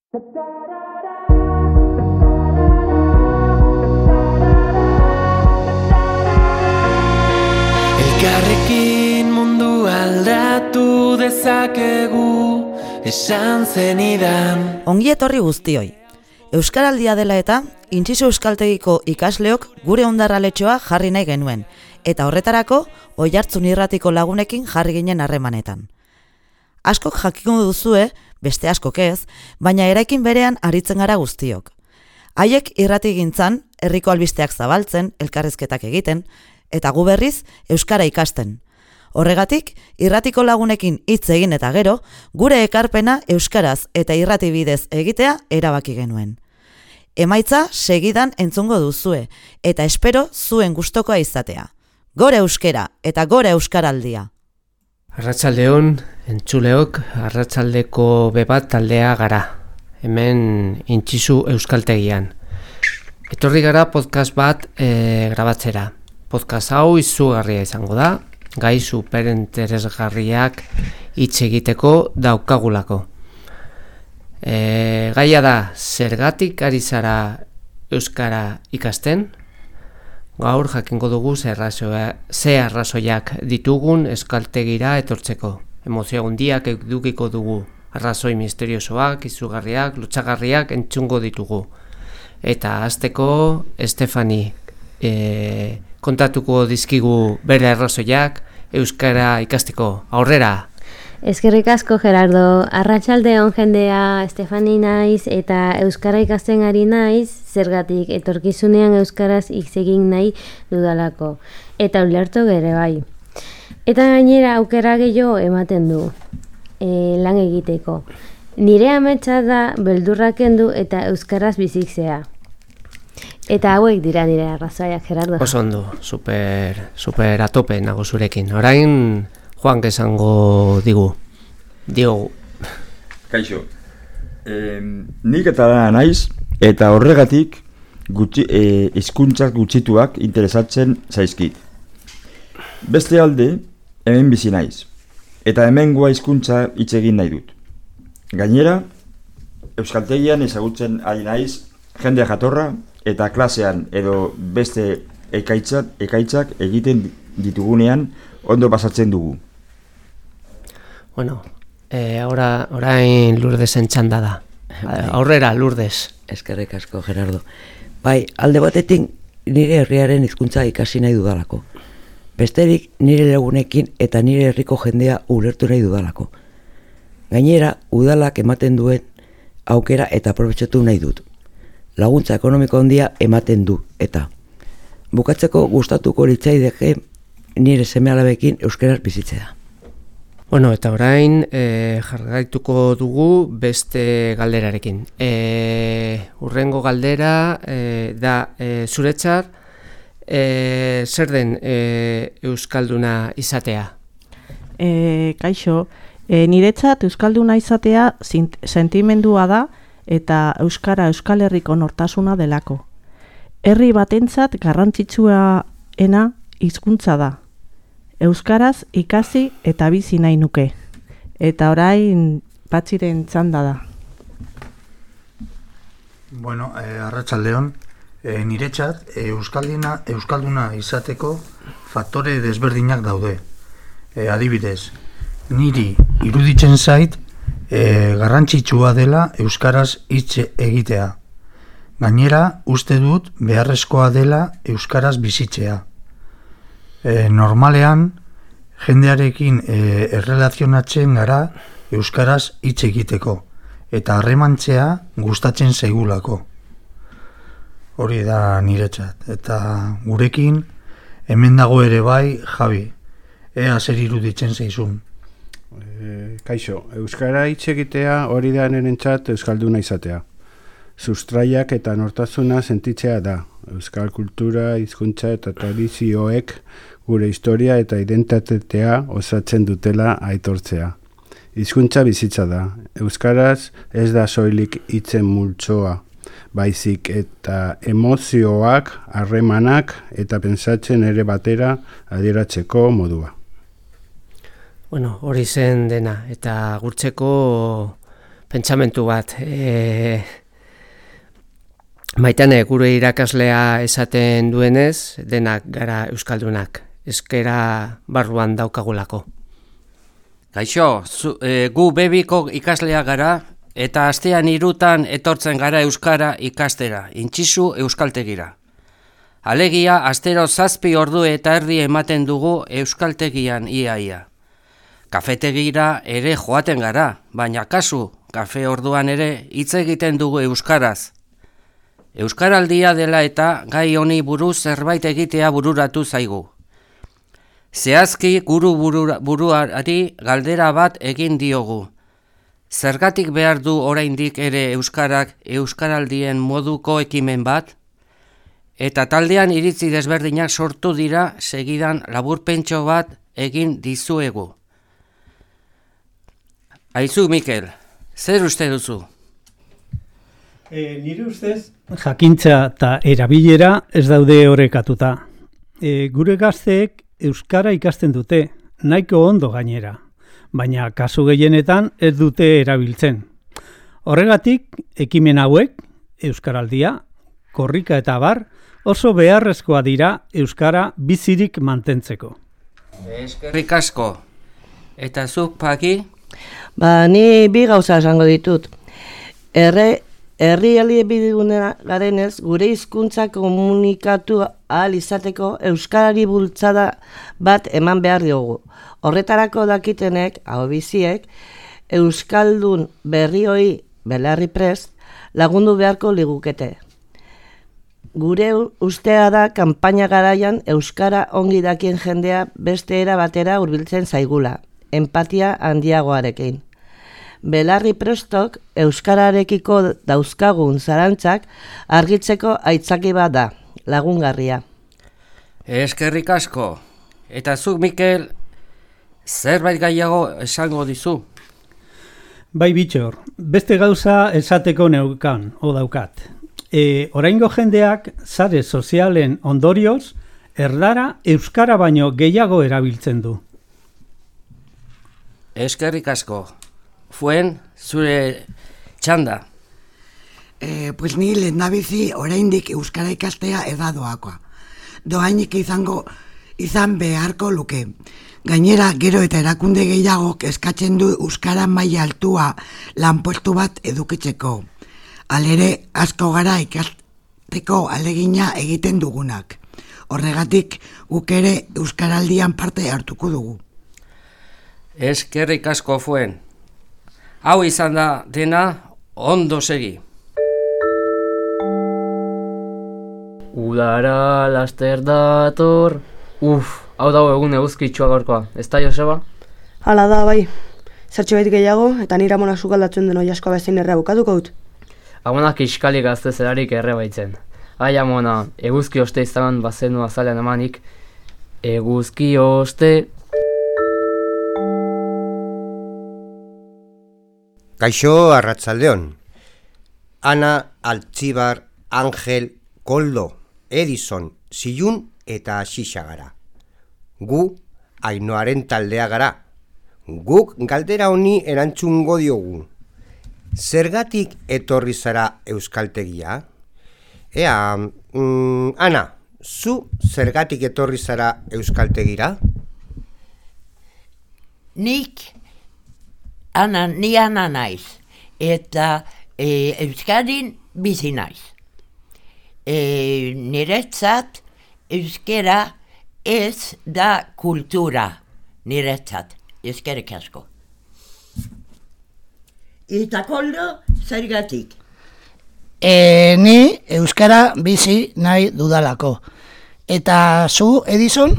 Elkarrekin mundu aldatu dezakegu, esan zenidan. Ongi etorri guztioi. Euskaraldia dela eta, Intxiso Euskaltegiko ikasleok gure hondarraletxoa jarri nahi genuen, eta horretarako Oiartzun Irratiko lagunekin jarri ginen harremanetan. Askok jakingo duzue, beste askok ez, baina eraikin berean aritzen gara guztiok. Haiek irratigintzan, herriko albisteak zabaltzen, elkarrizketak egiten, eta gu berriz euskara ikasten. Horregatik, irratiko lagunekin hitz egin eta gero, gure ekarpena euskaraz eta irrati bidez egitea erabaki genuen. Emaitza segidan entzungo duzue, eta espero zuen gustokoa izatea. Gora euskera eta gora euskaraldia. Arratsaldeon, entzuleok, arratsaldeko bebat taldea gara. Hemen Intxisu Euskaltegian. Etorri gara podcast bat grabatzera. Podcast hau izugarria izango da, gai superinteresgarriak hitz egiteko daukagulako. Gaia da, zergatik ari zara euskara ikasten? Gaur jakingo dugu ze arrazoiak ditugun euskaltegira etortzeko. Emozio handiak edukiko dugu, arrazoi misteriosoak, izugarriak, lotsagarriak entzungo ditugu. Eta hasteko Estefani kontatuko dizkigu bere arrazoiak euskara ikasteko. Aurrera! Eskerrik asko, Gerardo. Arratsaldeon jendea, Estefani naiz eta euskara ikasten ari naiz, zergatik etorkizunean euskaraz hitz egin nahi dudalako. Eta ulertu gere bai. Eta gainera aukera gehiago ematen du lan egiteko. Nire ametsa da beldurra kendu eta euskaraz bizitzea. Eta hauek dira nire arrazoiak, Gerardo. Oso ondo, super atope nago zurekin. Orain Juan esango diogu. Kaixo, nik eta da naiz, eta horregatik hizkuntzak gutxituak interesatzen zaizkit. Beste alde, hemen bizi naiz, eta hemengoa hizkuntza hitz egin nahi dut. Gainera, Euskaltegian ezagutzen ari naiz jende jatorra, eta klasean edo beste ekaitzak egiten ditugunean ondo pasatzen dugu. Bueno, orain Lurdesen txanda da. Aurrera, Lurdes. Eskerrik asko, Gerardo. Bai, alde batetik nire herriaren hizkuntza ikasi nahi dudalako. Besterik nire lagunekin eta nire herriko jendea ulertu nahi dudalako. Gainera, udalak ematen duen aukera eta aprobetxatu nahi dut. Laguntza ekonomiko handia ematen du, eta bukatzeko gustatuko litzaidake nire seme-alabekin euskaraz bizitzea. Bueno, eta orain jarraituko dugu beste galderarekin. Hurrengo galdera da zuretzat zer den euskalduna izatea? Kaixo, niretzat euskalduna izatea sentimendua da eta euskara Euskal Herriko nortasuna delako. Herri batentzat garrantzitsuena hizkuntza da. Euskaraz ikasi eta bizi nahi nuke. Eta orain Patxiren txanda da. Bueno, arratsaldeon, niretzat euskalduna izateko faktore desberdinak daude. Adibidez, niri iruditzen zait garrantzitsua dela euskaraz hitz egitea. Gainera, uste dut beharrezkoa dela euskaraz bizitzea. Normalean, jendearekin errelazionatzen gara euskaraz hitz egiteko, eta harremantzea gustatzen zaigulako. Hori da niretzat. Eta gurekin, hemen dago ere bai, Javi, ea zer iruditzen zaizun. Kaixo, euskara hitz egitea hori da nirentzat euskalduna izatea. Sustraiak eta nortasuna sentitzea da. Euskal kultura, hizkuntza eta tradizioek gure historia eta identitatea osatzen dutela aitortzea. Hizkuntza bizitza da. Euskaraz ez da soilik hitzen multzoa, baizik eta emozioak, harremanak eta pentsatzen ere batera adieratzeko modua. Bueno, hori zen dena, eta gurtzeko pentsamentu bat. Maitane, gure irakaslea esaten duenez, denak gara euskaldunak. Euskara barruan daukagulako. Kaixo, gu bebiko ikaslea gara, eta astean 3 etortzen gara euskara ikastera, intxizu euskaltegira. Alegia, astero 7 ordu eta erdi ematen dugu euskaltegian iaia. Kafetegira ere joaten gara, baina kasu, kafe orduan ere hitz egiten dugu euskaraz. Euskaraldia dela eta gai honi buruz zerbait egitea bururatu zaigu. Zehazki guru buruari galdera bat egin diogu. Zergatik behar du oraindik ere euskarak euskaraldien moduko ekimen bat? Eta taldean iritzi desberdinak sortu dira, segidan laburpentxo bat egin dizuegu. Aizu, Mikel, zer uste duzu? Nire ustez, jakintza eta erabilera ez daude orekatuta. Gure gazteek euskara ikasten dute, nahiko ondo gainera, baina kasu gehienetan ez dute erabiltzen. Horregatik, ekimen hauek, euskaraldia, korrika eta bar, oso beharrezkoa dira euskara bizirik mantentzeko. Eskerrik asko. Eta zuk, Paki? Ni 2 gauza esango ditut. Herrialde bidigune garenez, gure hizkuntza komunikatu ahal izateko euskarari bultzada bat eman behar diogu. Horretarako dakitenek, ahobiziek, euskaldun berrioi belarri prest lagundu beharko ligukete. Gure ustea da kanpaina garaian euskara ongi dakien jendea beste era batera hurbiltzen zaigula, empatia handiagoarekin. Belarri prestok euskararekiko dauzkagun zarantzak argitzeko aitzaki bat da, lagungarria. Eskerrik asko. Eta zuk, Mikel, zerbait gaiago esango dizu? Bai, Bitxor, beste gauza esateko daukat. Oraingo jendeak sare sozialen ondorioz, erdara euskara baino gehiago erabiltzen du. Eskerrik asko. Fuen, zure txanda. Pues ni lehendabizi oraindik euskara ikastea edadoakoa. Doainik izan beharko luke. Gainera, gero eta erakunde gehiagok eskatzen du euskara maila altua lanpostu bat edukitzeko. Halere, asko gara ikasteko alegina egiten dugunak. Horregatik, guk ere euskaraldian parte hartuko dugu. Eskerrik asko, Fuen. Hau izan da dena, ondo segi. Udara laster dator. Hau dago egun eguzkitsua gaurkoa. Ez da, Joseba? Hala da, bai. Zertxo bait gehiago, eta nire amona sukaldatzen den oiaskoa bezain errea bukatuko dut. Amonak iskalik gazte zelarik erre baitzen. Ai, amona, eguzki oste izan bazenu azalean emanik. Eguzki oste... Kaixo, arratsaldeon. Ana, Altzibar, Angel, Koldo, Edison, Zilun eta Xixa gara. Gu, Ainoaren taldea gara. Guk galdera honi erantzungo diogu. Zergatik etorri zara euskaltegia? Ana, zu zergatik etorri zara euskaltegira? Ni ana naiz, eta euskadin bizi naiz. Niretzat euskera ez da kultura, niretzat, eskerrik asko. Eta Koldo, zergatik? Ni euskara bizi nahi dudalako. Eta zu, Edison?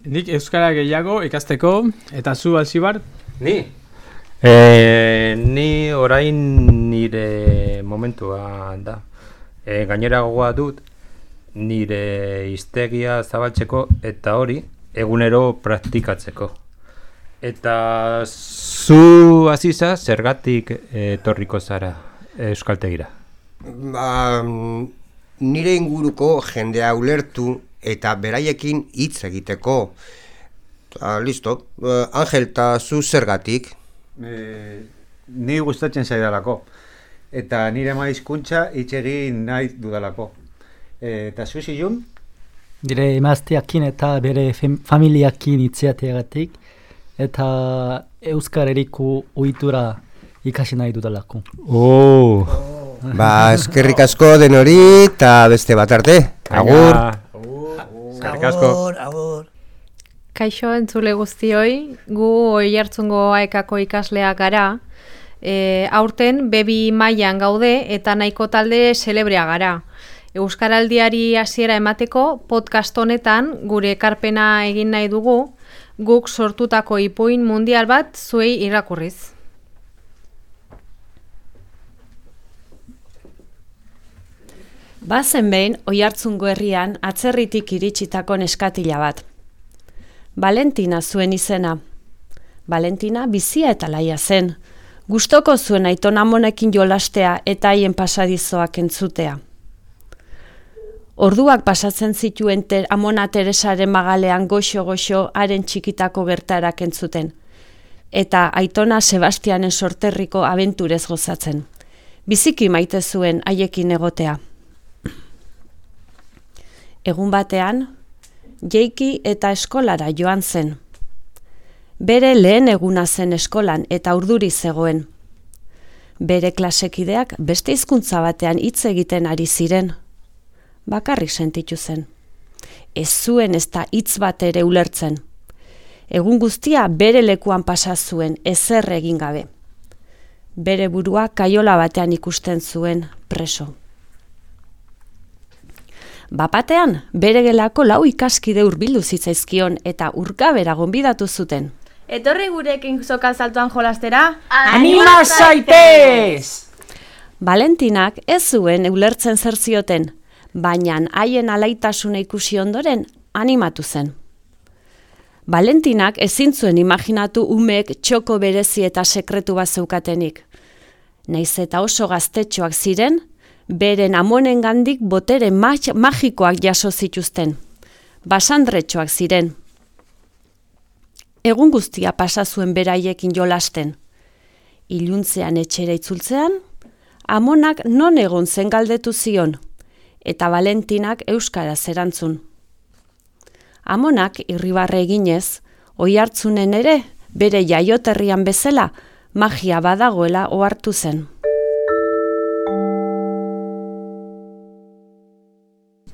Nik euskara gehiago ikasteko, eta zu, Altzibar? Ni orain nire momentua da. Gainera gogoa dut nire hiztegia zabaltzeko eta hori egunero praktikatzeko. Eta zu Aziza zergatik etorriko zara euskaltegira? Nire inguruko jendea ulertu eta beraiekin hitz egiteko. Listo. Angel, eta zu zergatik? ni gustatzen zaidalako. Eta nire ama hizkuntza hitz egin nahi dudalako. Eta zuzi jun? Dire emazteakin eta bere familiakin itziateagatik eta Euskal Herriko ohitura ikasi nahi dudalako. Ba, eskerrik asko denori eta beste bat arte. Agur. Eskerrik asko. Agur. Kaixo entzule guztioi, gu Oiartzungo AEKako ikasleak gara. Aurten bebi mailan gaude eta nahiko talde celebrea gara. Euskaraldiari hasiera emateko podcast honetan gure ekarpena egin nahi dugu, guk sortutako ipuin mundial bat zuei irakurriz. Bazen behin Oiartzungo herrian atzerritik iritsitako neskatila bat. Valentina zuen izena. Valentina bizia eta laia zen. Gustoko zuen aiton amonekin jolastea eta haien pasadizoak entzutea. Orduak pasatzen zituen amona Teresaren magalean goxo-goxo haren txikitako gertarak entzuten. Eta aitona Sebastianen sorterriko abenturez gozatzen. Biziki maite zuen haiekin egotea. Egun batean, Jeiki eta eskolara joan zen. Bere lehen eguna zen eskolan eta urduri zegoen. Bere klasekideak beste hizkuntza batean hitz egiten ari ziren. Bakarrik sentitu zen. Ez zuen ez da hitz bat ere ulertzen. Egun guztia bere lekuan pasa zuen ezer egin gabe. Bere burua kaiola batean ikusten zuen preso. Bapatean, bere gelako 4 ikaskide hurbildu zitzaizkion eta urkabera gonbidatu zuten. Etorri gurekin soka saltoan jolastera? Anima zaitez! Valentinak ez zuen ulertzen zer zioten, baina haien alaitasuna ikusi ondoren animatu zen. Valentinak ezin zuen imaginatu umeek txoko berezi eta sekretu bat zeukatenik. Naiz eta oso gaztetxoak ziren, beren amonengandik botere magikoak jaso zituzten. Basandretxoak ziren. Egun guztia pasa zuen beraiekin jolasten. Iluntzean etxera itzultzean, amonak non egon zen galdetu zion, eta Valentinak euskaraz erantzun. Amonak irribarre eginez, Oiartzunen ere, bere jaioterrian bezala, magia badagoela ohartu zen.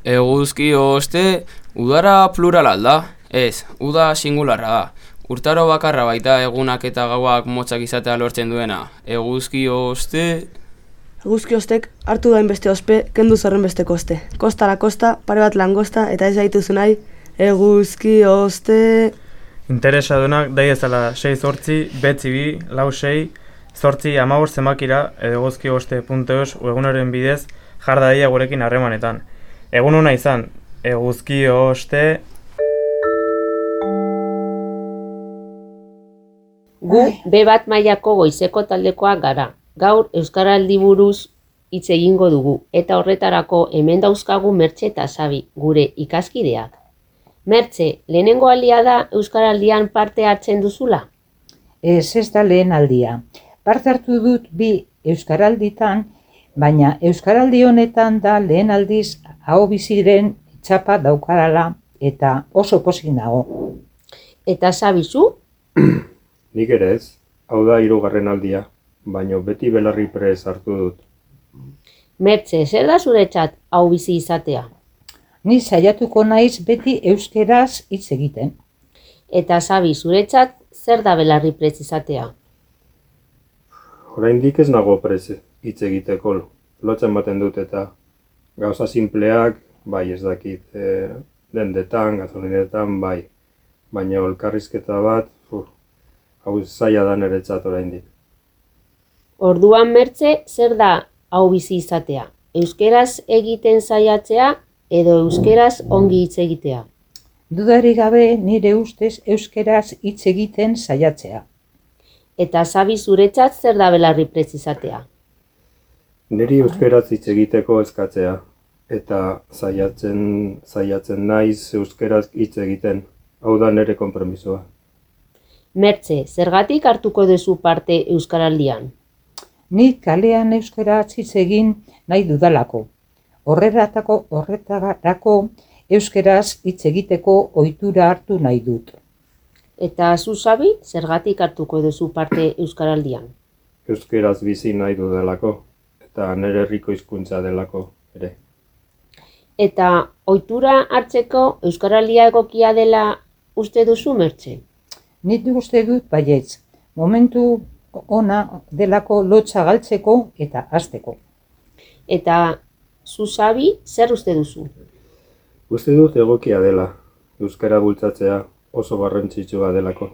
Eguzki oste, udara plurala da? Ez, uda singularra da. Urtaro bakarra baita egunak eta gauak motzak izatea lortzen duena. Eguzki oste... Eguzki ostek hartu dain beste ospe, kendu zorren besteko oste. Kostara kosta, pare bat langosta eta ez daituzu nahi, eguzki oste... Interesadunak dai ezala 6-8, 9-2, 4-6, 8-15 zenbakira eguzkioste.eus webgunaren bidez jar daia gurekin harremanetan. Egun ona izan, eguzki oste... Gu B bat mailako goizeko taldekoak gara. Gaur Euskaraldi buruz hitz egingo dugu eta horretarako hemen dauzkagu Mertxe eta Xabi, gure ikaskideak. Mertxe, lehenengo aldia da Euskaraldian parte hartzen duzula? Ez da lehen aldia. Parte hartu dut 2 Euskaralditan, baina Euskaraldi honetan da lehen aldiz aho biziren txapa daukarala eta oso pozik nago. Eta Xabi zu? Nik ere ez, hau da 3. aldia, baina beti belarri prez hartu dut. Mertxe, zer da zuretzat hau bizi izatea? Ni saiatuko naiz beti euskeraz hitz egiten. Eta Xabi, zuretzat zer da belarri prez izatea? Oraindik ez nago prez hitz egiteko, lotzen baten dut eta gauza simpleak, bai ez dakit, dendetan, gazolinetan, bai. Baina elkarrizketa bat, hau zaila da niretzat oraindik. Orduan Mertxe, zer da hau bizi izatea? Euskeraz egiten saiatzea edo euskeraz ongi hitz egitea? Dudarik gabe nire ustez euskeraz hitz egiten saiatzea. Eta Xabi, zuretzat zer da belarri prez izatea? Niri euskeraz hitz egiteko eskatzea eta saiatzen naiz euskeraz hitz egiten. Hau da nire konpromisoa. Mertxe, zergatik hartuko duzu parte Euskaraldian? Ni kalean euskaraz hitz egin nahi dudalako. Horretarako euskaraz hitz egiteko ohitura hartu nahi dut. Eta zu Xabi, zergatik hartuko duzu parte euskaraldian? Euskaraz bizi nahi dudalako, eta nire herriko hizkuntza delako ere. Eta ohitura hartzeko euskaraldia egokia dela uste duzu, Mertxe? Nik uste dut baietz, momentu ona delako lotsa galtzeko eta hasteko. Eta zu Xabi, zer uste duzu? Uste dut egokia dela, euskara bultzatzea oso garrantzitsua delako.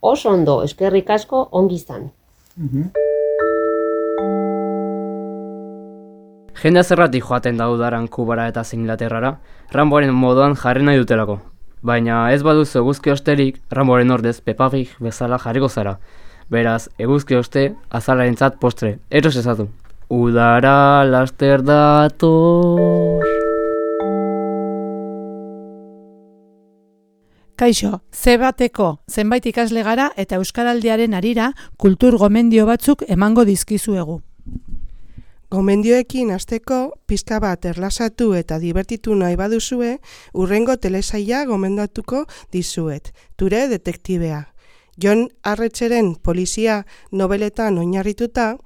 Oso ondo, eskerrik asko, ongi izan. Jendea zerratik joaten da udaran Kubara eta Inglaterrara, Ramboaren moduan jarri nahi dutelako. Baina ez baduzu eguzki osterik, Ramboaren ordez Peppa Pig bezala jarriko zara. Beraz, eguzki oste azalarentzat postre, eros ezatu. Udara laster dator. Kaixo, Z-bateko zenbait ikasle gara eta euskaraldiaren harira kultur gomendio batzuk emango dizkizuegu. Gomendioekin hasteko pizka bat erlasatu eta dibertitu nahi baduzue, hurrengo telesaila gomendatuko dizuet, Ture detektibea. Jon Arretxeren polizia nobeletan oinarrituta,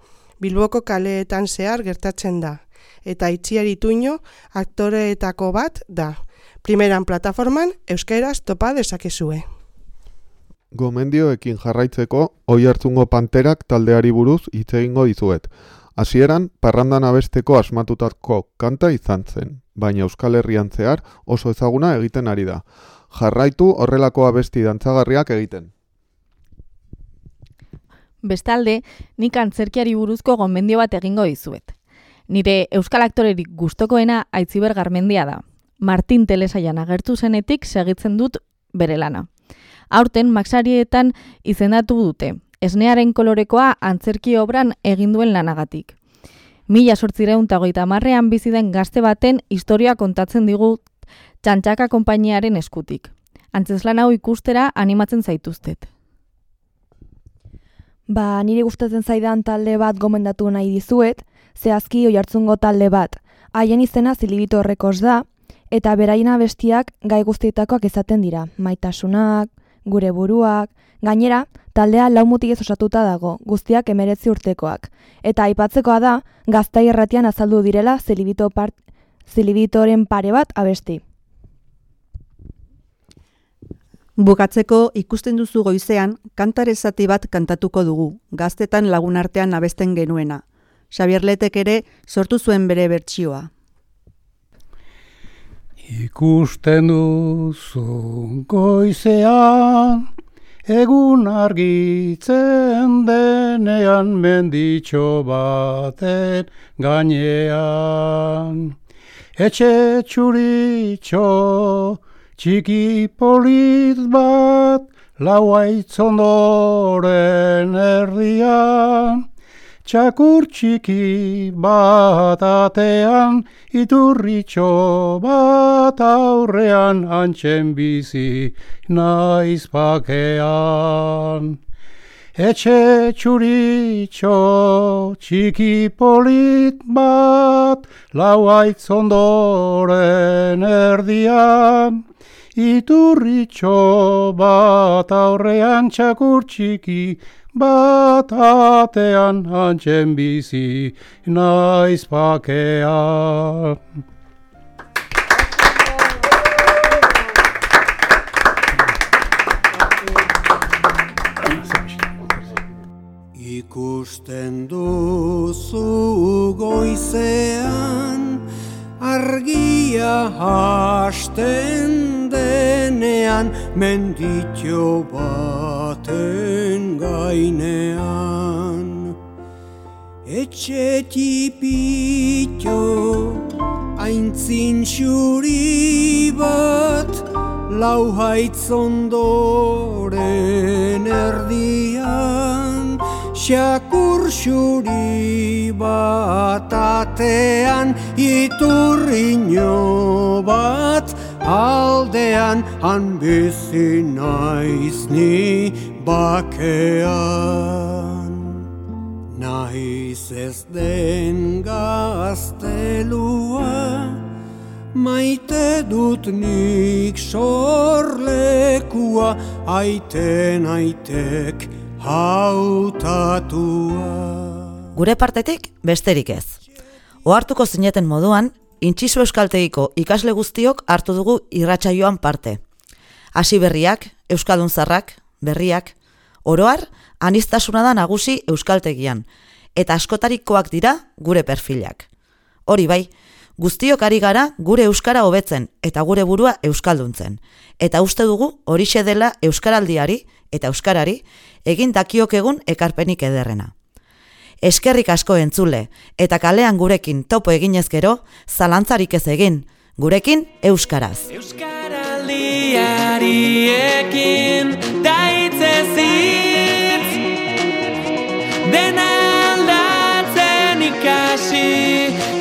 Bilboko kaleetan zehar gertatzen da, eta Itziar Ituño aktoreetako bat da. Primeran plataforman euskaraz topa dezakezue. Gomendioekin jarraitzeko Oihartzungo Panterak taldeari buruz hitz egingo dizuet. Hasieran parrandan abesteko asmatutako kanta izan zen, baina Euskal Herrian zehar oso ezaguna egiten ari da. Jarraitu horrelako abesti dantzagarriak egiten. Bestalde, nik antzerkiari buruzko gomendio bat egingo dizuet. Nire euskal aktorerik gustokoena Aitziber Garmendia da. Martin telesailan agertu zenetik segitzen dut bere lana. Aurten Maxarietan izendatu dute, Esnearen kolorekoa antzerki obran egin duen lanagatik. 1830ean bizi den gazte baten historia kontatzen digu Txantxaka konpainiaren eskutik. Antzeslan hau ikustera animatzen zaituztet. Nire gustatzen zaidan talde bat gomendatu nahi dizuet, zehazki Oihartzungo talde bat. Haien izena Zilibito Records da, eta beraien abestiak gai guztietakoak izaten dira. Maitasunak, gure buruak, gainera, taldea 4 mutilez osatuta dago, guztiak 19 urtekoak. Eta aipatzekoa da, Gaztai Irratian azaldu direla Zilibitoren pare bat abesti. Bukatzeko ikusten duzu goizean, kantare zati bat kantatuko dugu, gaztetan lagun artean abesten genuena. Xabier Letek ere sortu zuen bere bertsioa. Ikusten duzu goizean, egun argitzen denean menditxo baten gainean. Etxe txuritxo, txiki polit bat, lauaitz ondoren erdian, txakur txiki bat atean, iturritxo bat aurrean, antxen bizi naiz bakean. Etxe txuritxo, txiki polit bat, lauaitz ondoren erdian, iturritxo bat aurrean, txakur txiki bat atean, antxen bizi naiz bakean. Ikusten duzu goizean, argia hasten denean, menditxo baten gainean. Etxe tipitxo, aintzin xuri bat, lau haitz ondoren erdian, xakur xuri bat atean, iturriño bat aldean, han bizi naiz ni bakean. Naiz ez den gaztelua, maite dut nik sorlekua, aiten aitek hautatua. Gure partetik besterik ez. Ohartuko zineten moduan, Intxizu euskaltegiko ikasle guztiok hartu dugu irratsaioan parte. Hasi berriak, euskaldun zarrak, berriak, oroar, aniztasuna da nagusi euskaltegian, eta askotarikoak dira gure perfilak. Hori bai, guztiok ari gara gure euskara hobetzen eta gure burua euskalduntzen. Eta uste dugu horixe dela euskaraldiari eta euskarari egin dakiok egun ekarpenik ederrena. Eskerrik asko entzule, eta kalean gurekin topo eginez gero, zalantzarik ez egin, gurekin euskaraz. Euskaraldiari ekin daitzezitz, dena aldatzen ikasi,